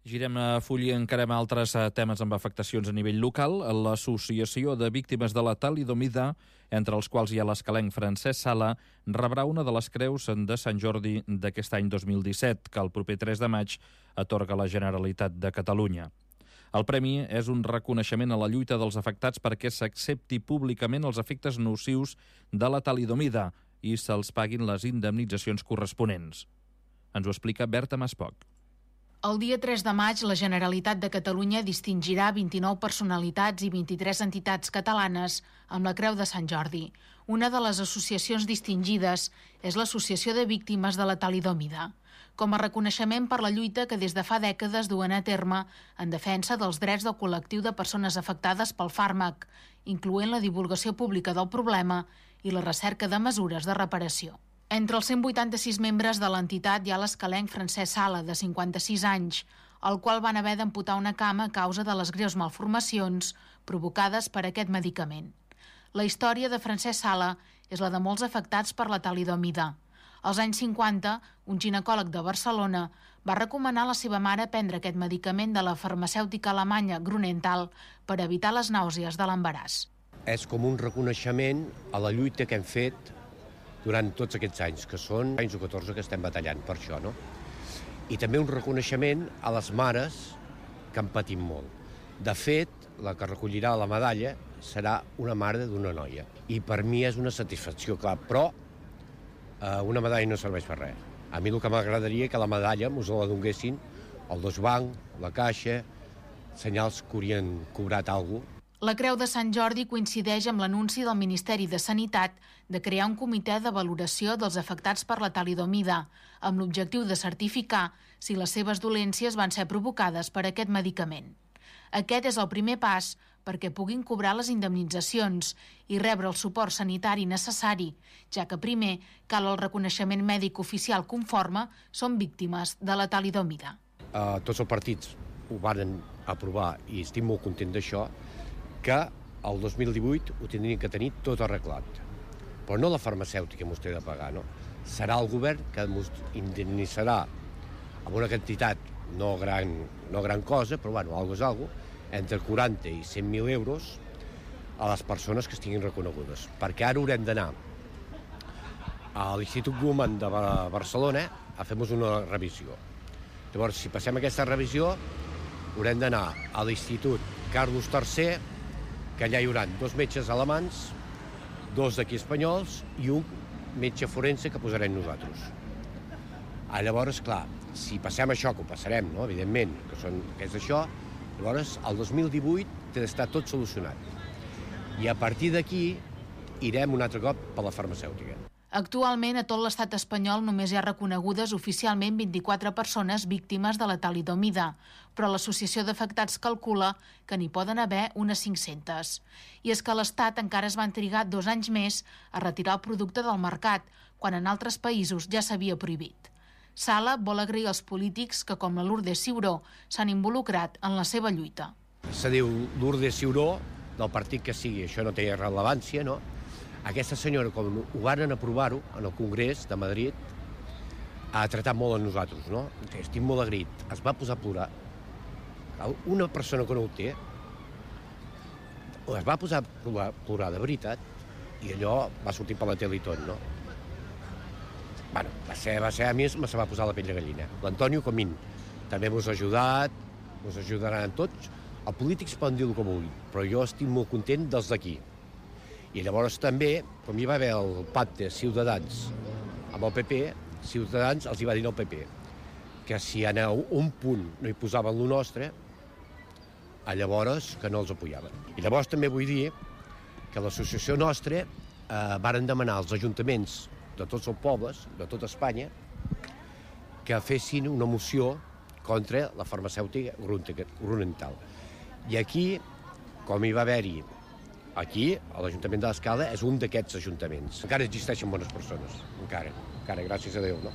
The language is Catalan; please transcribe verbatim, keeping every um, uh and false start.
Girem a full i encarem altres temes amb afectacions a nivell local. L'Associació de Víctimes de la Talidomida, entre els quals hi ha l'escalenc Francesc Sala, rebrà una de les creus de Sant Jordi d'aquest any dos mil disset, que el proper tres de maig atorga la Generalitat de Catalunya. El premi és un reconeixement a la lluita dels afectats perquè s'accepti públicament els efectes nocius de la talidomida i se'ls paguin les indemnitzacions corresponents. Ens ho explica Berta Maspoc. El dia tres de maig, la Generalitat de Catalunya distingirà vint-i-nou personalitats i vint-i-tres entitats catalanes amb la Creu de Sant Jordi. Una de les associacions distingides és l'Associació de Víctimes de la Talidomida, com a reconeixement per la lluita que des de fa dècades duen a terme en defensa dels drets del col·lectiu de persones afectades pel fàrmac, incloent la divulgació pública del problema i la recerca de mesures de reparació. Entre els cent vuitanta-sis membres de l'entitat hi ha l'escalenc Francesc Sala, de cinquanta-sis anys, al qual van haver d'amputar una cama a causa de les greus malformacions provocades per aquest medicament. La història de Francesc Sala és la de molts afectats per la talidomida. Als anys cinquanta, un ginecòleg de Barcelona va recomanar a la seva mare prendre aquest medicament de la farmacèutica alemanya Grünenthal per evitar les nàusees de l'embaràs. És com un reconeixement a la lluita que hem fet durant tots aquests anys, que són anys o catorze que estem batallant per això, no? I també un reconeixement a les mares que han patit molt. De fet, la que recollirà la medalla serà una mare d'una noia. I per mi és una satisfacció, clar, però eh, una medalla no serveix per res. A mi el que m'agradaria que la medalla mos la donguessin el Deutsche Bank, la Caixa, senyals que haurien cobrat alguna cosa. La Creu de Sant Jordi coincideix amb l'anunci del Ministeri de Sanitat de crear un comitè de valoració dels afectats per la talidomida, amb l'objectiu de certificar si les seves dolències van ser provocades per aquest medicament. Aquest és el primer pas perquè puguin cobrar les indemnitzacions i rebre el suport sanitari necessari, ja que primer cal el reconeixement mèdic oficial conforme són víctimes de la talidomida. Uh, tots els partits ho van aprovar i estic molt content d'això, que el dos mil divuit ho tindrien que tenir tot arreglat. Però no la farmacèutica mos té de pagar, no? Serà el govern que mos indemnitzarà amb una quantitat no gran, no gran cosa, però bueno, algo és algo, entre quaranta i cent mil euros a les persones que estiguin reconegudes. Perquè ara haurem d'anar a l'Institut Guttmann de Barcelona a fer-nos una revisió. Llavors, si passem aquesta revisió, haurem d'anar a l'Institut Carlos tercer, que allà hi haurà dos metges alemans, dos d'aquí espanyols i un metge forense que posarem nosaltres. Ah, llavors, clar, si passem això, que ho passarem, no? Evidentment, que, són, que és això, llavors el dos mil divuit té d'estar tot solucionat. I a partir d'aquí irem un altre cop per la farmacèutica. Actualment, a tot l'estat espanyol només hi ha reconegudes oficialment vint-i-quatre persones víctimes de la talidomida, però l'Associació d'Afectats calcula que n'hi poden haver unes cinc-centes. I és que a l'Estat encara es van trigar dos anys més a retirar el producte del mercat, quan en altres països ja s'havia prohibit. Sala vol agrair als polítics que, com la Lourdes Ciuró, s'han involucrat en la seva lluita. Se diu Lourdes Ciuró, del partit que sigui, això no té rellevància, no? Aquesta senyora, com ho van aprovar-ho en el Congrés de Madrid, ha tratat molt a nosaltres, no? Estic molt agraït. Es va posar a plorar. Una persona que no ho té, es va posar a plorar, plorar de veritat, i allò va sortir per la tele i tot, no? Bueno, va ser, va ser a mi me se va posar la pell de gallina. L'Antonio Comín també mos ha ajudat, mos ajudaran tots. Els polítics poden dir el que vulguin, però jo estic molt content dels d'aquí. I llavors també, com hi va haver el pacte Ciutadans amb el P P, Ciutadans els hi va dir al P P que si en un punt no hi posaven lo nostre, llavors que no els apoyaven. I llavors també vull dir que l'associació nostra eh, varen demanar als ajuntaments de tots els pobles, de tota Espanya, que fessin una moció contra la farmacèutica Grünenthal. I aquí, com hi va haver-hi aquí, a l'Ajuntament de l'Escala, és un d'aquests ajuntaments. Encara existeixen bones persones, encara, encara, gràcies a Déu, no?